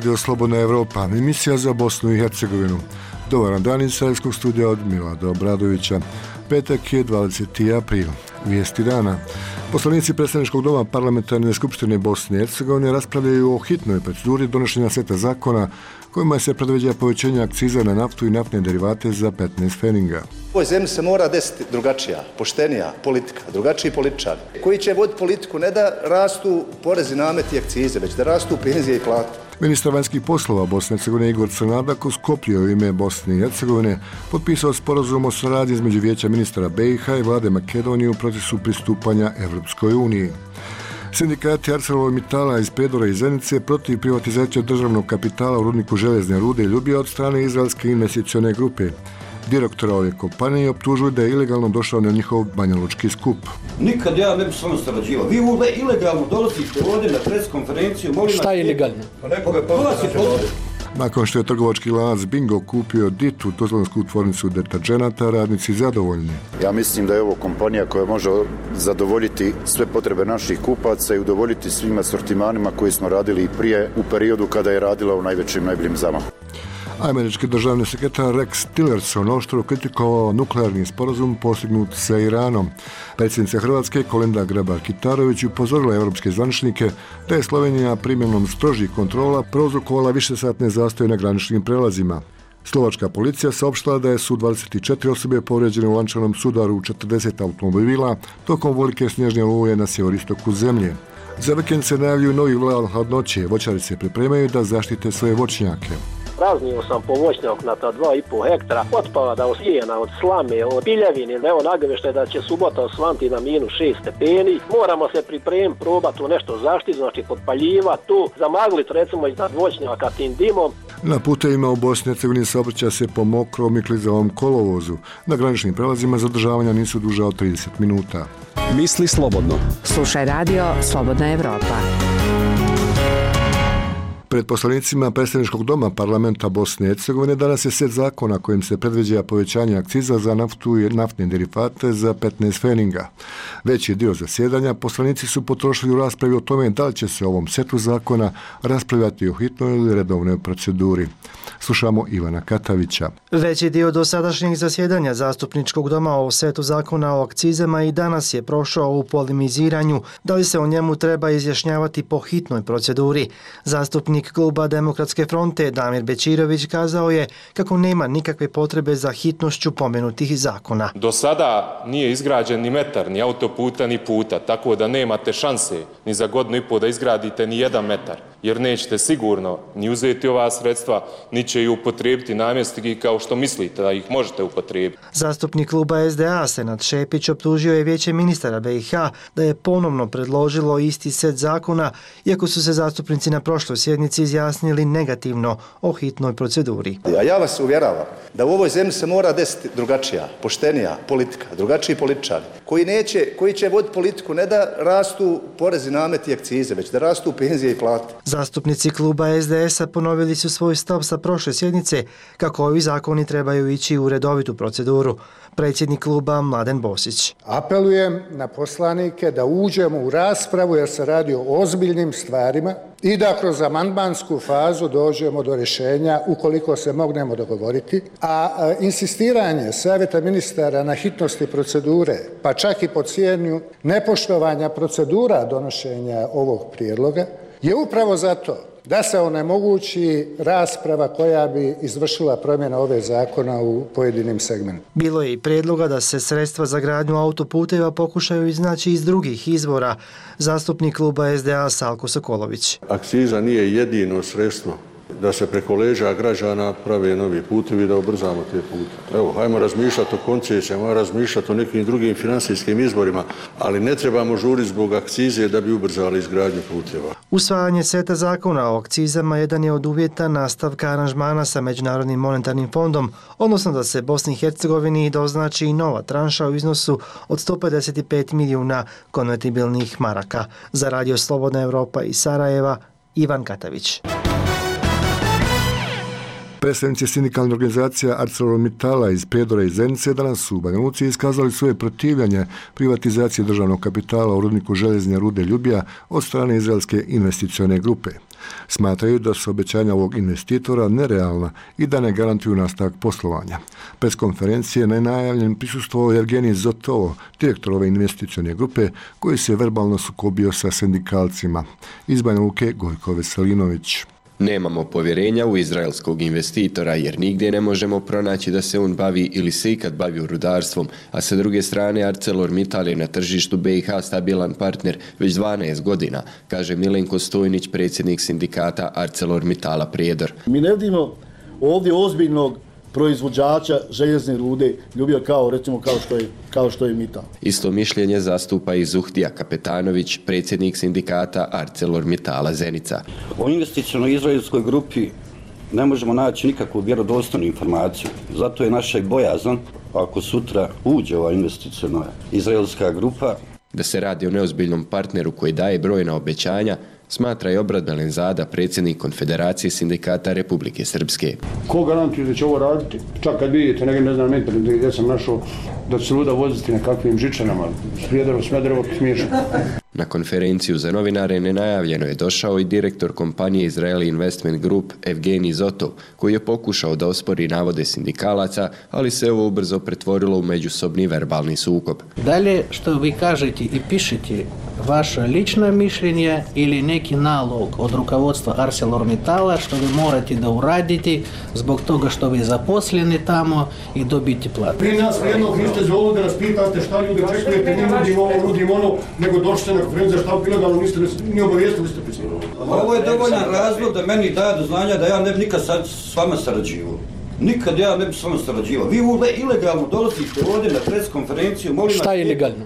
Radio Slobodna Evropa, emisija za Bosnu i Hercegovinu. Dobar dan iz Sarajevskog studija od Milada Obradovića. Petak je 20. april. Vijesti dana. Poslanici predstavničkog doma Parlamentarne skupštine Bosne i Hercegovine raspravljaju o hitnoj proceduri donošenja seta zakona kojima se predviđa povećanje akciza na naftu i naftne derivate za 15 pfeninga. U ovoj zemlji se mora desiti drugačija, poštenija politika, drugačiji političari koji će voditi politiku ne da rastu porezi, nameti i akcize, već da rastu penzije i plate. Ministar vanjskih poslova Bosne i Hercegovine Igor Crnadak u Skoplju u ime Bosne i Hercegovine potpisao sporazum o saradnji između Vijeća ministara BiH i vlade Makedonije u procesu pristupanja Evropskoj uniji. Sindikati ArcelorMittala iz Prijedora i Zenice protiv privatizacije državnog kapitala u rudniku željezne rude Ljubija od strane izraelske investicione grupe. Direktora ove kompanije optužuju da je ilegalno došao na njihov banjalučki skup. Nikad ja ne bi s vama sarađivao. Vi ilegalno dolazite ovdje na preskonferenciju. Šta je ilegalno? Nakon što je trgovački lanac Bingo kupio Ditu, tuzlansku tvornicu deterđenata, radnici zadovoljni. Ja mislim da je ovo kompanija koja može zadovoljiti sve potrebe naših kupaca i udovoljiti svim asortimanima koji smo radili i prije u periodu kada je radila u najboljim zamahu. Američki državni sekretar Rex Tillerson oštro kritikovao nuklearni sporazum postignut sa Iranom. Predsjednica Hrvatske Kolinda Grabar-Kitarović upozorila evropske zvaničnike da je Slovenija primjenom strožih kontrola prouzrokovala višesatne zastoje na graničnim prelazima. Slovačka policija saopštila da su 24 osobe povrijeđene u lančanom sudaru u 40 automobila tokom velike snježne oluje na sjeveristoku zemlje. Za vikend se najavljuju novi val hladnoće. Voćari se pripremaju da zaštite svoje voćnjake. Praznio sam po voćnjaka 2,5 hektara, otpada od sijena, od slame, od piljevine. Evo nagovještaj da će subota osvanti na -6 stepeni. Moramo se pripremiti, probati tu nešto zaštiti, znači potpaljivati tu, zamagliti recimo iznad voćnjaka tim dimom. Na putevima u Bosni i Hercegovini saobraća se po mokrom i klizavom kolovozu. Na graničnim prelazima zadržavanja nisu duža od 30 minuta. Misli slobodno. Slušaj radio Slobodna Evropa. Pred poslanicima predstavničkog doma Parlamenta Bosne i Hercegovine danas je set zakona kojim se predviđa povećanje akciza za naftu i naftne derivate za 15 pfeninga. Veći dio zasjedanja poslanici su potrošili u raspravi o tome da li će se o ovom setu zakona raspravljati u hitnoj ili redovnoj proceduri. Slušamo Ivana Katavića. Veći dio dosadašnjeg zasjedanja zastupničkog doma o setu zakona o akcizama i danas je prošao u polemiziranju da li se o njemu treba izjašnjavati po hitnoj proceduri. Zastupnik kluba Demokratske fronte Damir Bećirović kazao je kako nema nikakve potrebe za hitnošću pomenutih zakona. Do sada nije izgrađen ni metar, ni autoputa, ni puta, tako da nemate šanse ni za godinu i pol da izgradite ni 1 metar, jer nećete sigurno ni uzeti ova sredstva, ni će ih upotrijebiti namjenski kao što mislite da ih možete upotrijebiti. Zastupnik kluba SDA Senad Šepić optužio je Vijeće ministara BiH da je ponovno predložilo isti set zakona, iako su se zastupnici na prošloj sjednici izjasnili negativno o hitnoj proceduri. A ja vas uvjeravam da u ovoj zemlji se mora desiti drugačija, poštenija politika, drugačiji političari koji će voditi politiku ne da rastu porezi, nameti i akcize, već da rastu penzije i plate. Zastupnici kluba SDS-a ponovili su svoj stav sa prošle sjednice kako ovi zakoni trebaju ići u redovitu proceduru. Predsjednik kluba Mladen Bosić. Apelujem na poslanike da uđemo u raspravu jer se radi o ozbiljnim stvarima i da kroz amandmansku fazu dođemo do rješenja ukoliko se mognemo dogovoriti, a insistiranje Savjeta ministara na hitnosti procedure, pa čak i po cijenu nepoštovanja procedura donošenja ovog prijedloga, je upravo zato da se onemogući rasprava koja bi izvršila promjena ove zakona u pojedinim segmentima. Bilo je i prijedloga da se sredstva za gradnju autoputeva pokušaju iznaći iz drugih izvora. Zastupnik kluba SDA Salko Sokolović. Akciza nije jedino sredstvo da se preko leđa građana prave novi putevi, da ubrzamo te pute. Evo, hajmo razmišljati o koncesijama, hajmo razmišljati o nekim drugim financijskim izborima, ali ne trebamo žuriti zbog akcize da bi ubrzali izgradnju puteva. Usvajanje seta zakona o akcizama jedan je od uvjeta nastavka aranžmana sa Međunarodnim monetarnim fondom, odnosno da se Bosni i Hercegovini doznači i nova tranša u iznosu od 155 milijuna konvertibilnih maraka. Za Radio Slobodna Evropa iz Sarajeva, Ivan Katavić. Predstavnici sindikalne organizacije ArcelorMittala iz Prijedora i Zenice danas su u Banja Luci iskazali svoje protivljenje privatizacije državnog kapitala u rudniku željezne rude Ljubija od strane izraelske investicione grupe. Smatraju da su obećanja ovog investitora nerealna i da ne garantuju nastavak poslovanja. Pres konferencije nenajavljen prisustvovao Evgenij Zotovo, direktor ove investicione grupe, koji se verbalno sukobio sa sindikalcima. Iz Banja Luke Gojko Veselinović. Nemamo povjerenja u izraelskog investitora jer nigdje ne možemo pronaći da se on bavi ili se ikad bavio rudarstvom, a sa druge strane ArcelorMittal je na tržištu BiH stabilan partner već 12 godina, kaže Milenko Stojnić, predsjednik sindikata ArcelorMittala Prijedor. Mi ne vidimo ovdje ozbiljnog proizvođača željezne rude ljubio kao što je Mittal. Isto mišljenje zastupa i Zuhtija Kapetanović, predsjednik sindikata ArcelorMittala Zenica. O investicionoj izraelskoj grupi ne možemo naći nikakvu vjerodostojnu informaciju. Zato je naša bojazan ako sutra uđe ova investiciona izraelska grupa. Da se radi o neozbiljnom partneru koji daje brojna obećanja, smatra i Obrat Belenzada, predsjednik Konfederacije sindikata Republike Srpske. Ko garantuje da će ovo raditi? Čak kad vidite, ne znam, gdje sam našao da će se luda voziti nekakvim žičanama, Smederevo, smiješno. Na konferenciju za novinare nenajavljeno je došao i direktor kompanije Israeli Investment Group Evgenij Zotov, koji je pokušao da ospori navode sindikalaca, ali se ovo ubrzo pretvorilo u međusobni verbalni sukob. Dalje, što vi kažete i pišete, vaše lično mišljenje ili neki nalog od rukovodstva ArcelorMittala što vi morate da uradite zbog toga što vi zaposleni tamo i dobiti platu. Vi nas jednog niste zvoli da nas pitate šta ljudi čekujete, mi nudim ono, nego došli na konferenciju šta bilo da niste ni obavijestili ste pisali. Ovo je dovoljan razlog da meni daje do znanja da ja ne bi nikad s vama sarađivao. Nikad ja ne bi s vama sarađivao. Vi ilegalno dolazite ovdje na preskonferenciju. Šta je ilegalno?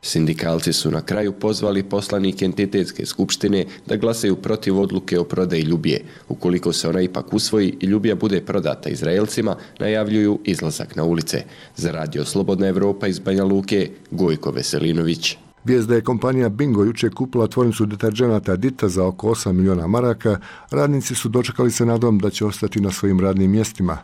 Sindikalci su na kraju pozvali poslanike entitetske skupštine da glasaju protiv odluke o prodaji Ljubije. Ukoliko se ona ipak usvoji i Ljubija bude prodata Izraelcima, najavljuju izlazak na ulice. Za Radio Slobodna Evropa iz Banja Luke, Gojko Veselinović. Vijest da je kompanija Bingo jučer kupila tvornicu deterđenata Dita za oko 8 miliona maraka, radnici su dočekali se nadom da će ostati na svojim radnim mjestima.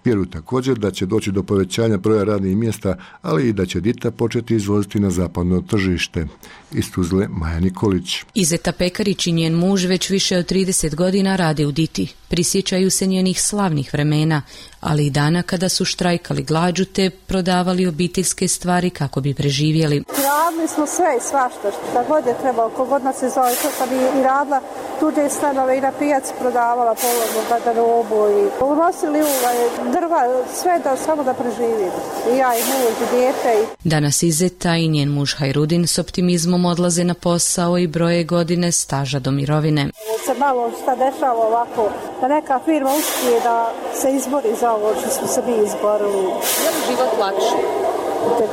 Vjeruju također da će doći do povećanja broja radnih mjesta, ali i da će Dita početi izvoziti na zapadno tržište. Iz Tuzle Maja Nikolić. Izeta Pekarić i njen muž već više od 30 godina rade u Diti. Prisjećaju se njenih slavnih vremena, ali i dana kada su štrajkali glađu te prodavali obiteljske stvari kako bi preživjeli. Radili smo sve i svašta, šta god je trebalo, kogod nas je zove, to bi i radila tuđe stanove i na pijaci prodavala polovnu garderobu i unosili drva, sve da samo da preživimo. I ja i muž i dijete. Danas Izeta i njen muž Hajrudin s optimizmom odlaze na posao i broje godine staža do mirovine. Se malo šta dešava ovako, da neka firma uspije da se izbori za ovo što smo se mi izborili. Je li život lakši?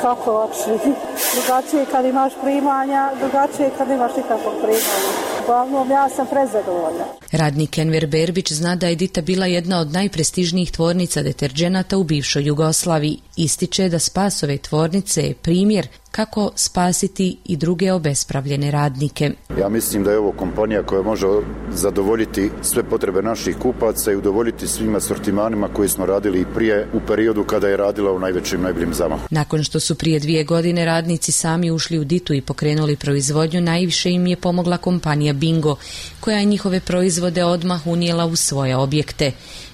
Kako lakši. Drugačije kad imaš primanja, drugačije kad imaš nikakvog primanja. Uglavnom, ja sam prezadovoljna. Radnik Enver Berbić zna da je Dita bila jedna od najprestižnijih tvornica deterđenata u bivšoj Jugoslaviji. Ističe da spas ove tvornice je primjer kako spasiti i druge obespravljene radnike. Ja mislim da je ovo kompanija koja može zadovoljiti sve potrebe naših kupaca i udovoljiti svim asortimanima koji smo radili i prije u periodu kada je radila u najboljem zamahu. Nakon što su prije 2 godine radnici sami ušli u Ditu i pokrenuli proizvodnju, najviše im je pomogla kompanija Bingo, koja je njihove proizvode odmah unijela u svoje objekte.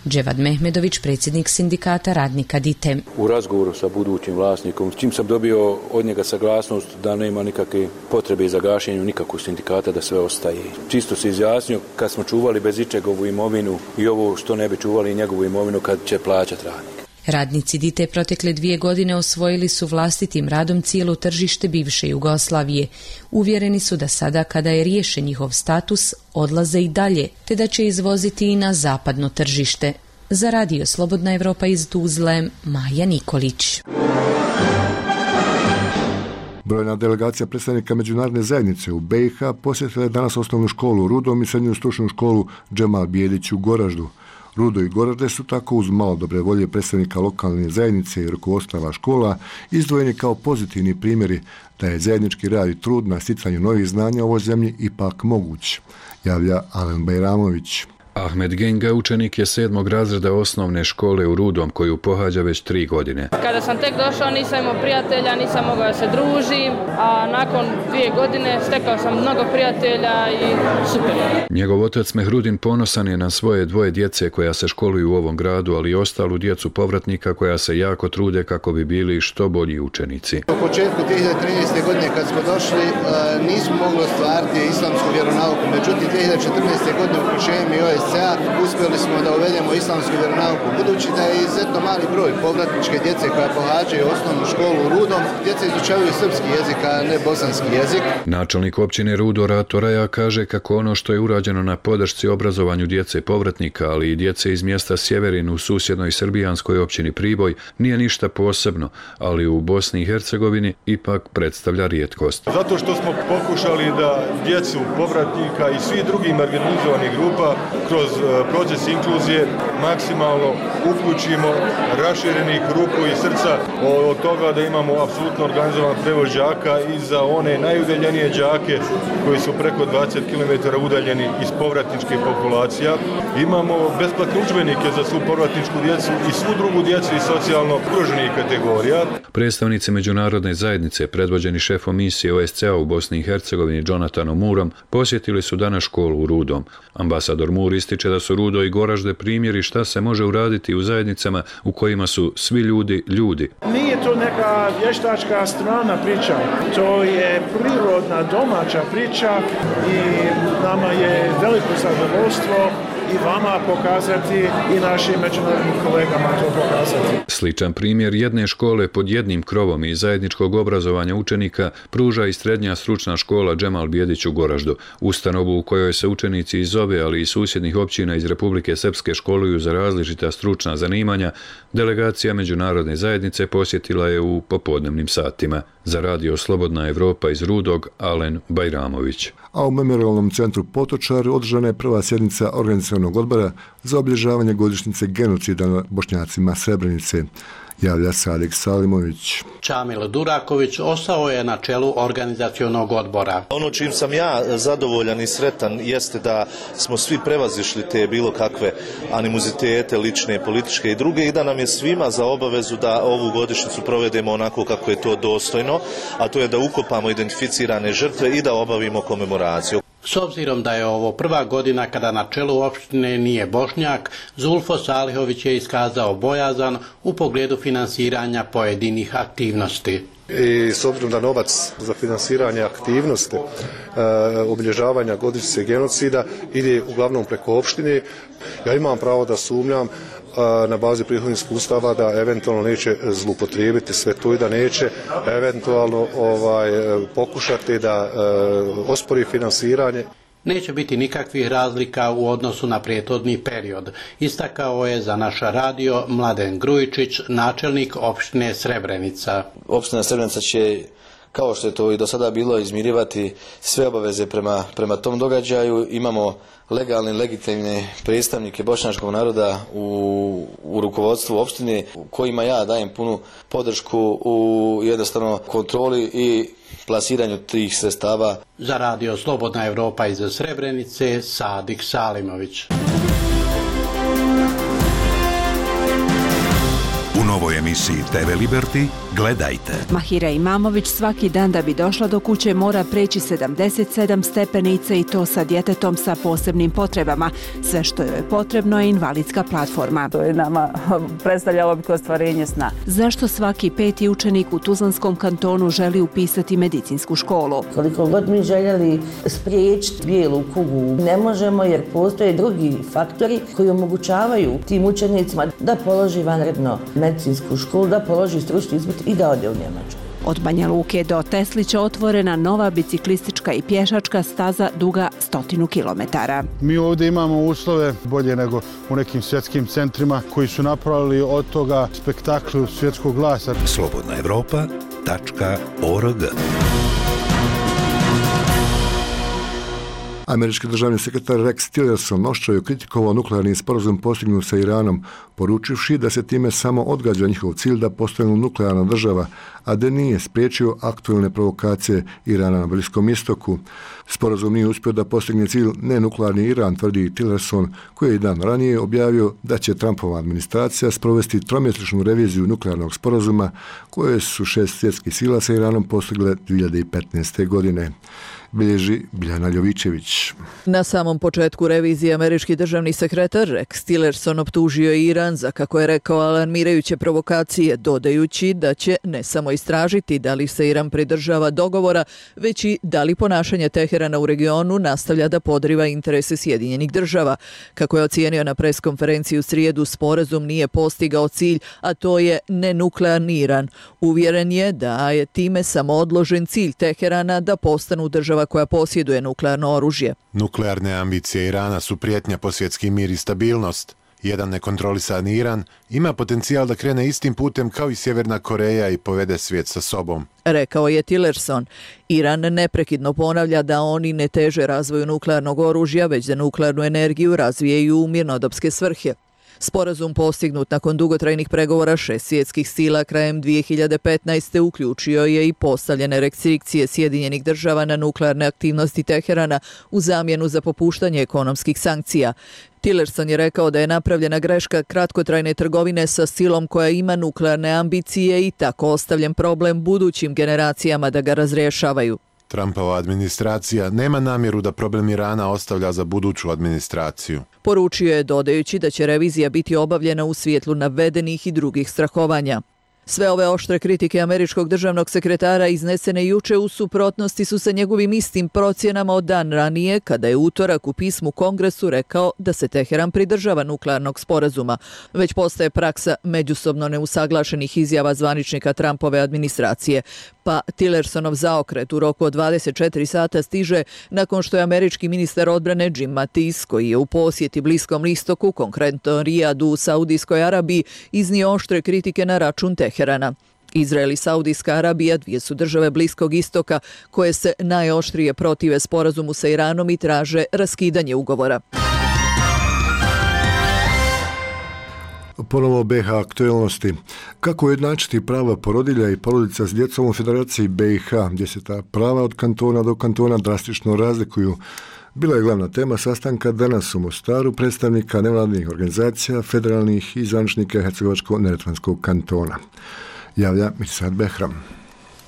Dževad Mehmedović, predsjednik sindikata radnika Dite. U razgovoru sa budućim vlasnikom, čim sam dobio od njega saglasnost da nema nikakve potrebe za gašenju nikakvog sindikata, da sve ostaje. Čisto se izjasnio kad smo čuvali bez ičega ovu imovinu i ovo što ne bi čuvali njegovu imovinu kad će plaćati radnik. Radnici Dite protekle 2 godine osvojili su vlastitim radom cijelo tržište bivše Jugoslavije. Uvjereni su da sada kada je riješen njihov status, odlaze i dalje, te da će izvoziti i na zapadno tržište. Za Radio Slobodna Evropa iz Tuzle, Maja Nikolić. Brojna delegacija predstavnika međunarodne zajednice u BiH posjetila je danas osnovnu školu Rudom i srednju stručnu školu Džemal Bijelić u Goraždu. Rudo i Goražde su tako uz malo dobre volje predstavnika lokalne zajednice i rukovodstava škola izdvojeni kao pozitivni primjeri da je zajednički rad i trud na sticanju novih znanja u ovoj zemlji ipak moguć, javlja Alen Bajramović. Ahmed Genga učenik je 7. razreda osnovne škole u Rudom koju pohađa već 3 godine. Kada sam tek došao nisam imao prijatelja, nisam mogao da se družim, a nakon 2 godine stekao sam mnogo prijatelja i super. Njegov otac Mehrudin ponosan je na svoje 2 djece koja se školuju u ovom gradu, ali i ostalu djecu povratnika koja se jako trude kako bi bili što bolji učenici. U početku 2013. godine kad smo došli nismo mogli ostvariti islamsku vjeronauku, međutim 2014. godine uključenjem i OSCE-a uspjeli smo da uvedemo islamsku vjeronauku. Budući da je izuzetno mali broj povratničke djece koja pohađaju osnovnu školu u Rudom, djeca izučavaju srpski jezik, a ne bosanski jezik. Načelnik općine Rudo Rato Raja kaže kako ono što je urađeno na podršci obrazovanju djece povratnika, ali i djece iz mjesta Sjeverin u susjednoj srbijanskoj općini Priboj nije ništa posebno, ali u Bosni i Hercegovini ipak predstavlja rijetkost. Zato što smo pokušali da djecu povratnika i svi drugih marginalizovanih grupa kroz proces inkluzije maksimalno uključimo, raširenih ruku i srca od toga da imamo apsolutno organizovan prevoz đaka i za one najudaljenije đake koji su preko 20 km udaljeni iz povratničkih populacija. Imamo besplatne udžbenike za svu povratničku djecu i svu drugu djecu iz socijalno ugroženih kategorija. Predstavnici međunarodne zajednice, predvođeni šefom misije OSCE-a u Bosni i Hercegovini Jonathanom Moorom, posjetili su danas školu u Rudom. Ambasador Moore ističe da su Rudo i Goražde primjeri šta se može uraditi u zajednicama u kojima su svi ljudi ljudi. Nije to neka vještačka strana priča, to je prirodna domaća priča i nama je veliko zadovoljstvo i vama pokazati i našim međunarodnim kolegama to pokazati. Sličan primjer jedne škole pod jednim krovom i zajedničkog obrazovanja učenika pruža i srednja stručna škola Džemal Bijedić u Goraždu, ustanovu u kojoj se učenici iz ove, ali i susjednih općina iz Republike Srpske školuju za različita stručna zanimanja. Delegacija međunarodne zajednice posjetila je u popodnevnim satima. Za radio Slobodna Evropa iz Rudog, Alen Bajramović. A u Memorialnom centru Potočar održana je prva sjednica organizacionog odbora za obilježavanje godišnjice genocida nad Bošnjacima Srebrenice. Javlja Sadik Salimović. Čamil Duraković ostao je na čelu organizacionog odbora. Ono čim sam ja zadovoljan i sretan jeste da smo svi prevazišli te bilo kakve animozitete, lične, političke i druge i da nam je svima za obavezu da ovu godišnjicu provedemo onako kako je to dostojno, a to je da ukopamo identificirane žrtve i da obavimo komemoraciju. S obzirom da je ovo prva godina kada na čelu opštine nije Bošnjak, Zulfo Salihović je iskazao bojazan u pogledu finansiranja pojedinih aktivnosti. I s obzirom da novac za finansiranje aktivnosti obilježavanja godišnjice genocida ide uglavnom preko opštine, ja imam pravo da sumnjam na bazi prethodnih iskustava da eventualno neće zloupotrijebiti sve to i da neće eventualno pokušati da ospori finansiranje. Neće biti nikakvih razlika u odnosu na prethodni period, istakao je za naš radio Mladen Grujičić, načelnik opštine Srebrenica. Opština Srebrenica će, kao što je to i do sada bilo, izmirivati sve obaveze prema tom događaju. Imamo legalne, legitimne predstavnike bošnjačkog naroda u rukovodstvu opštine, kojima ja dajem punu podršku u jednostavno kontroli i plasiranju tih sredstava. Za radio Slobodna Evropa iz Srebrenice, Sadik Salimović. U novoj emisiji TV Liberty gledajte. Mahira Imamović svaki dan da bi došla do kuće mora preći 77 stepenica i to sa djetetom sa posebnim potrebama. Sve što joj je potrebno je invalidska platforma. To je nama predstavljalo bi ostvarenje sna. Zašto svaki 5. učenik u Tuzlanskom kantonu želi upisati medicinsku školu? Koliko god mi željeli spriječiti bijelu kugu, ne možemo jer postoje drugi faktori koji omogućavaju tim učenicima da položi vanredno medicinsku školu, da položi stručni ispit i da ode u Njemačku. Od Banja Luke do Teslića otvorena nova biciklistička i pješačka staza duga 100 km. Mi ovdje imamo uslove bolje nego u nekim svjetskim centrima koji su napravili od toga spektakl svjetskog glasa. Slobodnaevropa.org. Američki državni sekretar Rex Tillerson oštro je kritikovao nuklearni sporazum postignut sa Iranom, poručivši da se time samo odgađa njihov cilj da postanu nuklearna država, a da nije spriječio aktualne provokacije Irana na Bliskom istoku. Sporazum nije uspio da postigne cilj nenuklearni Iran, tvrdi Tillerson, koji je dan ranije objavio da će Trumpova administracija sprovesti tromjesečnu reviziju nuklearnog sporazuma koje su 6 svjetskih sila sa Iranom postigle 2015. godine. Bilježi Biljana Ljovićević. Na samom početku revizije američki državni sekretar Rex Tillerson optužio je Iran za, kako je rekao, alarmirajuće provokacije, dodajući da će ne samo istražiti da li se Iran pridržava dogovora, već i da li ponašanje Teherana u regionu nastavlja da podriva interese Sjedinjenih država. Kako je ocijenio na preskonferenciji u srijedu, sporazum nije postigao cilj, a to je nenuklearni Iran. Uvjeren je da je time samo odložen cilj Teherana da postanu država koja posjeduje nuklearno oružje. Nuklearne ambicije Irana su prijetnja po svjetski mir i stabilnost. Jedan nekontrolisan Iran ima potencijal da krene istim putem kao i Sjeverna Koreja i povede svijet sa sobom. Rekao je Tillerson. Iran neprekidno ponavlja da oni ne teže razvoju nuklearnog oružja, već da nuklearnu energiju razvijaju u mirnodopske svrhe. Sporazum postignut nakon dugotrajnih pregovora 6 svjetskih sila krajem 2015. uključio je i postavljene restrikcije Sjedinjenih država na nuklearne aktivnosti Teherana u zamjenu za popuštanje ekonomskih sankcija. Tillerson je rekao da je napravljena greška kratkotrajne trgovine sa silom koja ima nuklearne ambicije i tako ostavljen problem budućim generacijama da ga razrješavaju. Trumpova administracija nema namjeru da problem Irana ostavlja za buduću administraciju. Poručio je, dodajući da će revizija biti obavljena u svjetlu navedenih i drugih strahovanja. Sve ove oštre kritike američkog državnog sekretara iznesene juče u suprotnosti su sa njegovim istim procjenama od dan ranije, kada je utorak u pismu Kongresu rekao da se Teheran pridržava nuklearnog sporazuma. Već postaje praksa međusobno neusaglašenih izjava zvaničnika Trumpove administracije. Pa Tillersonov zaokret u roku od 24 sata stiže nakon što je američki ministar odbrane Jim Mattis, koji je u posjeti Bliskom istoku, konkretno Rijadu u Saudijskoj Arabiji, iznio oštre kritike na račun Teherana. Izrael i Saudijska Arabija, dvije su države Bliskog istoka koje se najoštrije protive sporazumu sa Iranom i traže raskidanje ugovora. Ponovo BiH aktualnosti. Kako ujednačiti prava porodilja i porodica s djecom u Federaciji BiH, gdje se ta prava od kantona do kantona drastično razlikuju? Bila je glavna tema sastanka danas u Mostaru predstavnika nevladinih organizacija, federalnih i zvaničnika Hercegovačko-neretvanskog kantona. Javlja Mirsad Behram.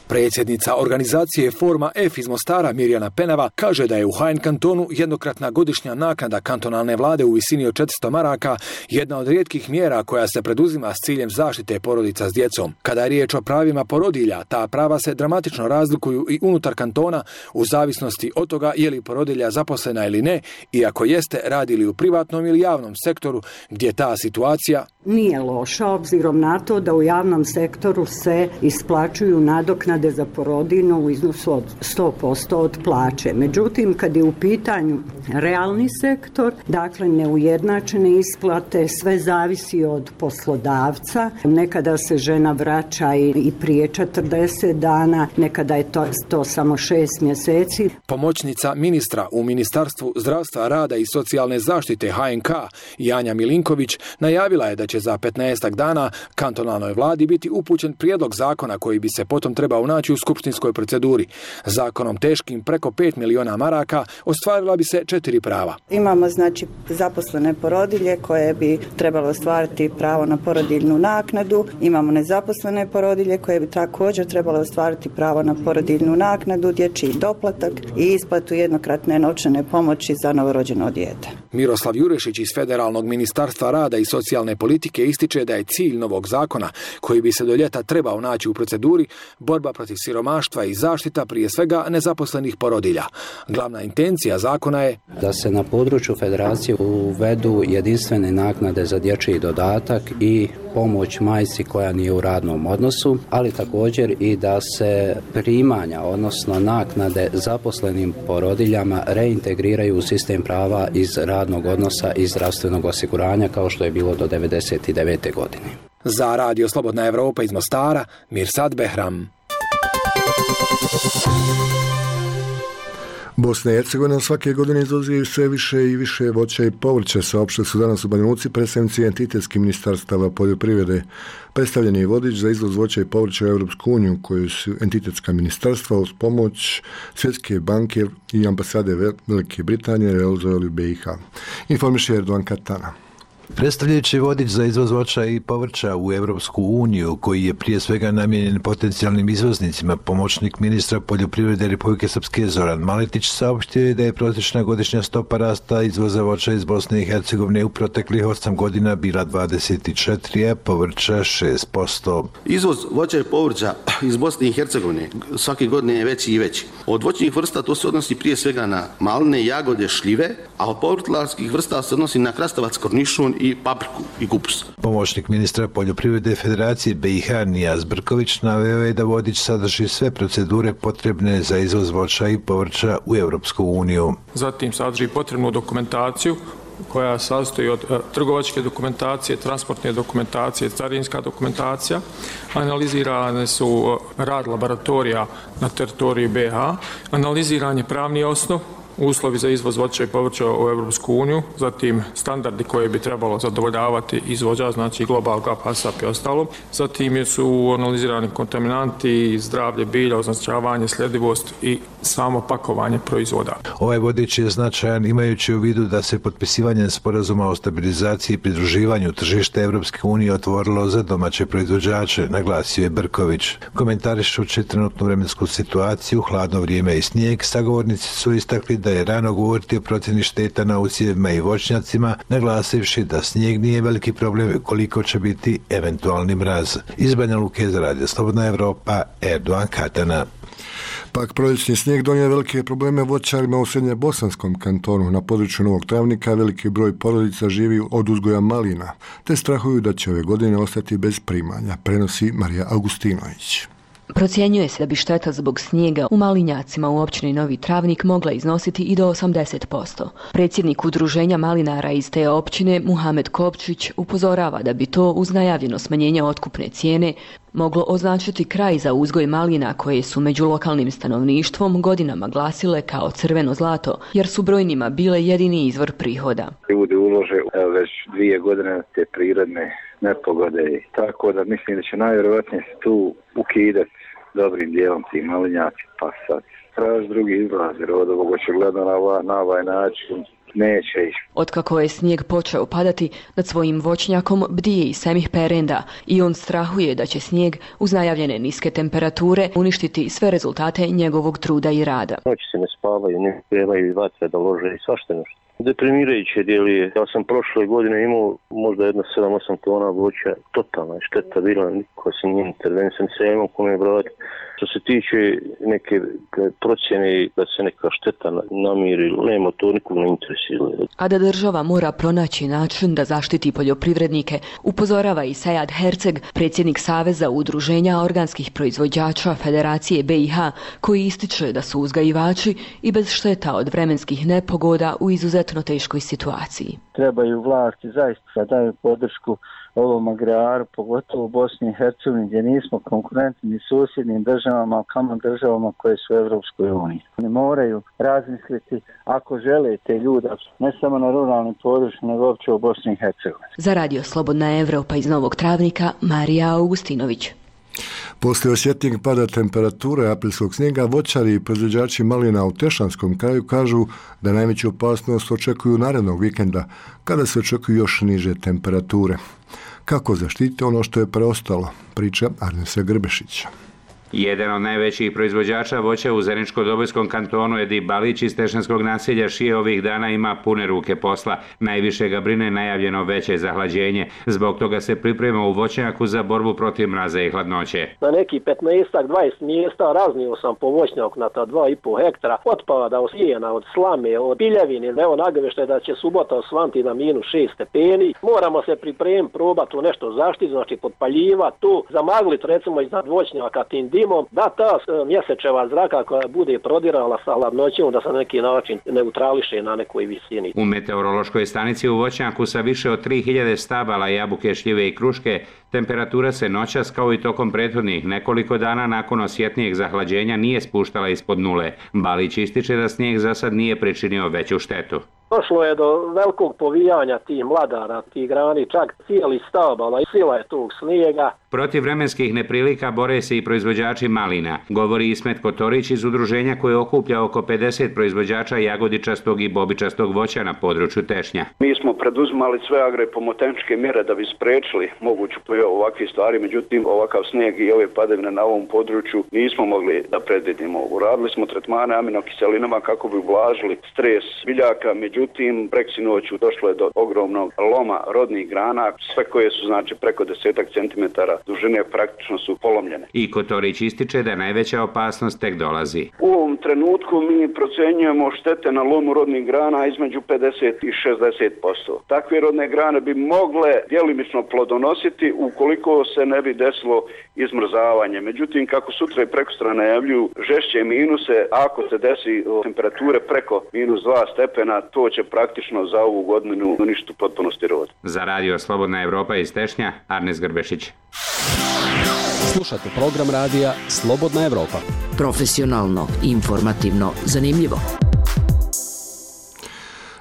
Predsjednica organizacije Forma F iz Mostara Mirjana Penava kaže da je u HN kantonu jednokratna godišnja naknada kantonalne vlade u visini od 400 maraka jedna od rijetkih mjera koja se preduzima s ciljem zaštite porodica s djecom. Kada je riječ o pravima porodilja, ta prava se dramatično razlikuju i unutar kantona u zavisnosti od toga je li porodilja zaposlena ili ne, i ako jeste, radi li u privatnom ili javnom sektoru, gdje ta situacija nije loša, obzirom na to da u javnom sektoru se isplaćuju nadoknade za porodiljnu u iznosu od 100% od plaće. Međutim, kad je u pitanju realni sektor, dakle neujednačene isplate, sve zavisi od poslodavca. Nekada se žena vraća i prije 40 dana, nekada je to samo 6 mjeseci. Pomoćnica ministra u Ministarstvu zdravstva, rada i socijalne zaštite HNK Janja Milinković najavila je da će za 15 dana kantonalnoj vladi biti upućen prijedlog zakona koji bi se potom trebao naći u skupštinskoj proceduri. Zakonom teškim preko 5 miliona maraka ostvarila bi se 4 prava. Imamo znači zaposlene porodilje koje bi trebalo ostvariti pravo na porodiljnu naknadu. Imamo nezaposlene porodilje koje bi također trebalo ostvariti pravo na porodiljnu naknadu, dječji doplatak i isplatu jednokratne novčane pomoći za novorođeno dijete. Miroslav Jurešić iz Federalnog ministarstva rada i socijalne politike ističe da je cilj novog zakona, koji bi se do ljeta trebao naći u proceduri, borba protiv siromaštva i zaštita prije svega nezaposlenih porodilja. Glavna intencija zakona je da se na području federacije uvedu jedinstvene naknade za dječji dodatak i pomoć majci koja nije u radnom odnosu, ali također i da se primanja, odnosno naknade zaposlenim porodiljama reintegriraju u sistem prava iz radnog odnosa i zdravstvenog osiguranja kao što je bilo do 1999. godine. Za Radio Slobodna Evropa iz Mostara, Mirsad Behram. Bosna i Hercegovina svake godine izvozi sve više i više voća i povrća. Saopštili su danas u Banja Luci predstavnici entitetskih ministarstava poljoprivrede. Predstavljen je vodič za izvoz voća i povrća u Europsku uniju, koju su entitetska ministarstva uz pomoć Svjetske banke i ambasade Velike Britanije realizovali u BiH. Informiše Erdogan Katana. Predstavljajući vodič za izvoz voća i povrća u Europsku uniju, koji je prije svega namijenjen potencijalnim izvoznicima, pomoćnik ministra poljoprivrede Republike Srpske Zoran Maletić saopštio je da je prosječna godišnja stopa rasta izvoza voća iz Bosne i Hercegovine u proteklih 8 godina bila 24, a povrća 6%. Izvoz voća i povrća iz Bosne i Hercegovine svake godine je veći i veći. Od voćnih vrsta to se odnosi prije svega na maline, jagode, šljive, a od povrtlarskih vrsta se odnosi na krastavac, kornišun i papriku i kupus. Pomoćnik ministra poljoprivrede Federacije BiH Nijaz Brković naveo je da vodič sadrži sve procedure potrebne za izvoz voća i povrća u Europsku uniju. Zatim sadrži potrebnu dokumentaciju koja sastoji od trgovačke dokumentacije, transportne dokumentacije, carinska dokumentacija. Analizirane su rad laboratorija na teritoriji BiH, analiziran je pravni osnov, uslovi za izvoz voća i povrća u Europsku uniju, zatim standardi koje bi trebalo zadovoljavati izvođač, znači Global Gap, ASAP i ostalo. Zatim su analizirani kontaminanti, zdravlje bilja, označavanje, sljedivost i samo pakovanje proizvoda. Ovaj vodič je značajan imajući u vidu da se potpisivanjem sporazuma o stabilizaciji i pridruživanju tržište Europske unije otvorilo za domaće proizvođače, naglasio je Brković. Komentarišući trenutnu vremensku situaciju, hladno vrijeme i snijeg, sagovornici su istakli da je rano govoriti o procjeni šteta na usjevima i voćnjacima, naglasivši da snijeg nije veliki problem koliko će biti eventualni mraz. Iz Banja Luke za Radio Slobodna Evropa, Erdogan Katana. Pak proljećni snijeg donio velike probleme voćarima u Srednje-bosanskom kantonu. Na području Novog Travnika veliki broj porodica živi od uzgoja malina, te strahuju da će ove godine ostati bez primanja, prenosi Marija Augustinović. Procjenjuje se da bi šteta zbog snijega u malinjacima u općini Novi Travnik mogla iznositi i do 80%. Predsjednik udruženja malinara iz te općine, Muhamed Kopčić, upozorava da bi to uz najavljeno smanjenje otkupne cijene moglo označiti kraj za uzgoj malina koje su među lokalnim stanovništvom godinama glasile kao crveno zlato, jer su brojnima bile jedini izvor prihoda. Ljudi ulože već 2 godine te prirodne nepogode, tako da mislim da će najvjerojatnije se tu ukidati dobrim dijelom ti malinjaci, pa sad traži drugi izlaz, jer od ovog očigledno na ovaj način neće ići. Otkako je snijeg počeo padati, nad svojim voćnjakom bdije i Semih Perenda i on strahuje da će snijeg uz najavljene niske temperature uništiti sve rezultate njegovog truda i rada. Noći se ne spavaju, ne pevaju iz vatre da lože i svašta nešto. Deprimirajuće djeluje. Ja sam prošle godine imao možda 7-8 tona voća. Totalna šteta bila, niko se nije intervenisan, se imao kome brati. Što se tiče neke procjene da se neka šteta namiri, nema to, nikog ne interesira. A da država mora pronaći način da zaštiti poljoprivrednike, upozorava i Sejad Herceg, predsjednik Saveza udruženja organskih proizvođača Federacije BiH, koji ističe da su uzgajivači i bez šteta od vremenskih nepogoda u izuzetno teškoj situaciji. Trebaju vlasti zaista da daju podršku ovom agraru, pogotovo u Bosni i Hercegovini, gdje nismo konkurentni ni susjednim državama, kamo državama koje su u Europskoj uniji. Oni moraju razmisliti ako žele te ljude, ne samo na ruralnim područjima, nego uopće u Bosni i Hercegovini. Za Radio Slobodna Evropa iz Novog Travnika, Marija Augustinović. Poslije osjetnijeg pada temperature aprilskog snijega, voćari i proizvođači malina u Tešanskom kraju kažu da najveću opasnost očekuju narednog vikenda, kada se očekuju još niže temperature. Kako zaštiti ono što je preostalo, priča Arnesa Grbešića. Jedan od najvećih proizvođača voća u Zeničko-Dobojskom kantonu Edi Balić iz Tešanskog naselja Šije ovih dana ima pune ruke posla. Najviše ga brine najavljeno veće zahlađenje. Zbog toga se priprema u voćnjaku za borbu protiv mraza i hladnoće. Na neki 15-20 mjesta raznio sam po voćnjak na ta 2,5 hektara otpada od sijena, od slame, od piljevine. Evo nagovještaj da će subota osvanti na -6 stepeni. Moramo se pripremiti, probati nešto zaštiti, znači podpaljivati tu, zamagliti recimo iznad voćnjaka tim dimom, da ta mjesečeva zraka koja bude prodirala sa hladnoćom da se na neki način neutrališe na nekoj visini. U meteorološkoj stanici u voćnjaku sa više od 3000 stabala jabuke, šljive i kruške temperatura se noćas kao i tokom prethodnih nekoliko dana nakon osjetnijeg zahlađenja nije spuštala ispod nule. Balić ističe da snijeg za sad nije pričinio veću štetu. Došlo je do velikog povijanja tih mladara, tih grani, čak cijeli stabala i sila je tog snijega. Protiv vremenskih neprilika bore se i proizvođači malina, govori Ismet Kotorić iz udruženja koje okuplja oko 50 proizvođača jagodičastog i bobičastog voća na području Tešnja. Mi smo preduzimali sve agropomoteničke mjere da bi spriječili moguću pojavu ovakve stvari, međutim ovakav snijeg i ove padavine na ovom području nismo mogli da predvidimo. Uradili smo tretmane aminokiselinama kako bi ublažili stres biljaka, međutim preksinoću došlo je do ogromnog loma rodnih grana, sve koje su znači preko 10 centimetara dužine praktično su polomljene. I Kotorić ističe da najveća opasnost tek dolazi. U ovom trenutku mi procenjujemo štete na lomu rodnih grana između 50 i 60%. Takve rodne grane bi mogle djelimično plodonositi ukoliko se ne bi desilo izmrzavanje. Međutim, kako sutra i prekosutra najavljuju žešće minuse, ako se desi temperature preko -2 stepena, to će praktično za ovu godinu uništiti u potpunosti rod. Za radio Slobodna Evropa iz Tešnja, Arnes Grbešić. Slušate program radija Slobodna Evropa. Profesionalno, informativno, zanimljivo.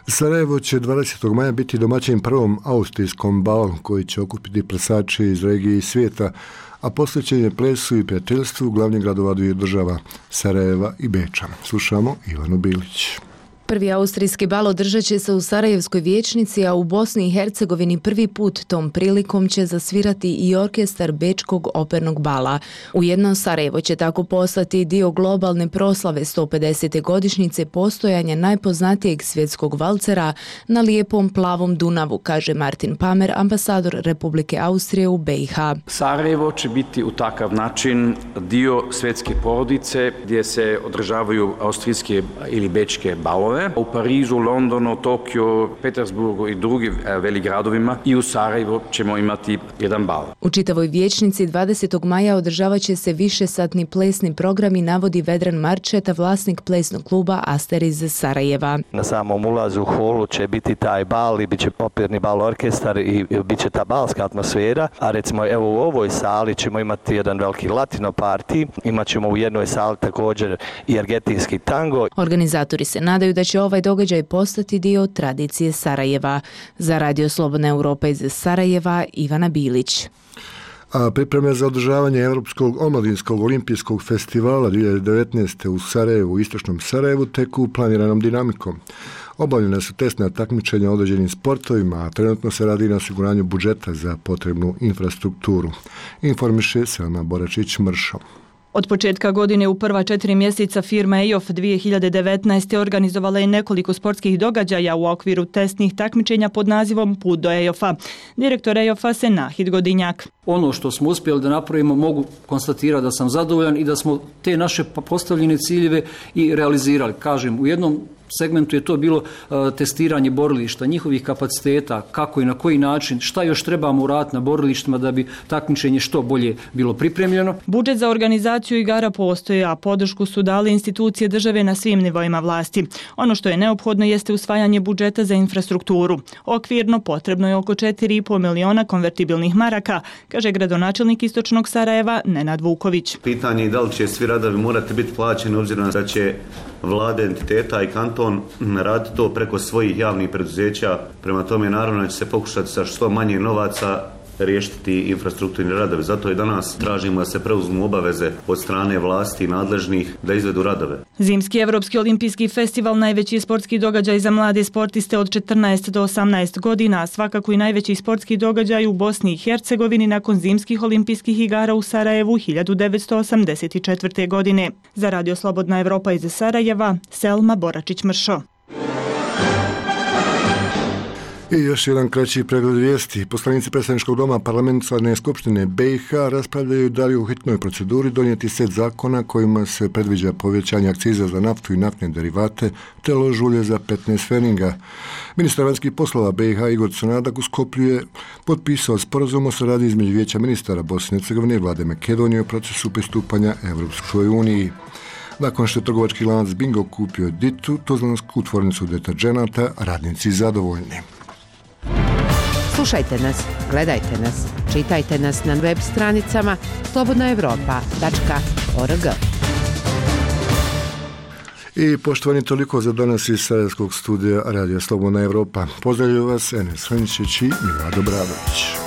Sarajevo će 20. maja biti domaćin prvom austrijskom balu koji će okupiti plesače iz regije i svijeta, a posvećen je plesu i prijateljstvu glavnih gradova dviju država, Sarajeva i Beča. Slušamo Ivanu Bilić. Prvi austrijski bal održat će se u Sarajevskoj vijećnici, a u Bosni i Hercegovini prvi put tom prilikom će zasvirati i orkestar Bečkog opernog bala. Ujedno Sarajevo će tako postati dio globalne proslave 150. godišnjice postojanja najpoznatijeg svjetskog valcera na lijepom plavom Dunavu, kaže Martin Pamer, ambasador Republike Austrije u BiH. Sarajevo će biti u takav način dio svjetske porodice gdje se održavaju austrijske ili bečke balove. U Parizu, Londonu, Tokiju, Petersburgu i drugim velikih gradovima i u Sarajevu ćemo imati jedan bal. U čitavoj vijećnici 20. maja održavat će se višesatni plesni program i navodi Vedran Marčeta, vlasnik plesnog kluba Aster iz Sarajeva. Na samom ulazu u holu će biti taj bal i bit će operni bal orkestar i bit će ta balska atmosfera, a recimo evo u ovoj sali ćemo imati jedan veliki latino party, imat ćemo u jednoj sali također i argentinski tango. Organizatori se nadaju da će ovaj događaj postati dio tradicije Sarajeva. Za radio Slobodna Evropa iz Sarajeva, Ivana Bilić. A pripreme za održavanje Europskog omladinskog olimpijskog festivala 2019. u Sarajevu, u istočnom Sarajevu, teku planiranom dinamikom. Obavljena su testna takmičenja u određenim sportovima, a trenutno se radi na osiguranju budžeta za potrebnu infrastrukturu. Informiše Selma Boračić-Mršo. Od početka godine u prva 4 mjeseca firma EOF 2019. organizovala je nekoliko sportskih događaja u okviru testnih takmičenja pod nazivom Put do EOF-a. Direktor EOF-a Senahid Godinjak. Ono što smo uspjeli da napravimo mogu konstatirati da sam zadovoljan i da smo te naše postavljene ciljeve i realizirali. Kažem, u jednom segmentu je to bilo testiranje borilišta, njihovih kapaciteta, kako i na koji način, šta još trebamo uraditi na borilištima da bi takmičenje što bolje bilo pripremljeno. Budžet za organizaciju igara postoji, a podršku su dali institucije države na svim nivoima vlasti. Ono što je neophodno jeste usvajanje budžeta za infrastrukturu. Okvirno potrebno je oko 4,5 miliona konvertibilnih maraka, kaže gradonačelnik istočnog Sarajeva Nenad Vuković. Pitanje je da li će svi radovi morati biti plaćeni obzirom da će vlade, entiteta i kanton raditi to preko svojih javnih preduzeća. Prema tome naravno da će se pokušati sa što manje novaca riješiti infrastrukturni radovi. Zato i danas tražimo da se preuzmu obaveze od strane vlasti nadležnih da izvedu radove. Zimski Evropski olimpijski festival, najveći sportski događaj za mlade sportiste od 14 do 18 godina, a svakako i najveći sportski događaj u Bosni i Hercegovini nakon zimskih olimpijskih igara u Sarajevu 1984. godine. Za radio Slobodna Evropa iz Sarajeva, Selma Boračić-Mršo. I još jedan kraći pregled vijesti. Poslanici predstavničkog doma parlamentarne skupštine BiH raspravljaju da li u hitnoj proceduri donijeti set zakona kojima se predviđa povećanje akciza za naftu i naftne derivate te lož ulje za 15 pfenninga. Ministar vanjskih poslova BiH Igor Crnadak u Skoplju je potpisao sporazum o saradnji između Vijeća ministara Bosne i Hercegovine i vlade Makedonije u procesu pristupanja Europskoj uniji. Nakon što je trgovački lanac Bingo kupio Ditu, tuzlansku tvornicu deterđenata, radnici zadovoljni. Slušajte nas, gledajte nas, čitajte nas na web stranicama slobodnaevropa.org. I poštovani, toliko za danas iz Sarajevskog studija Radija Slobodna Evropa. Pozdravljaju vas Enes Hrničić i Milado Bradović.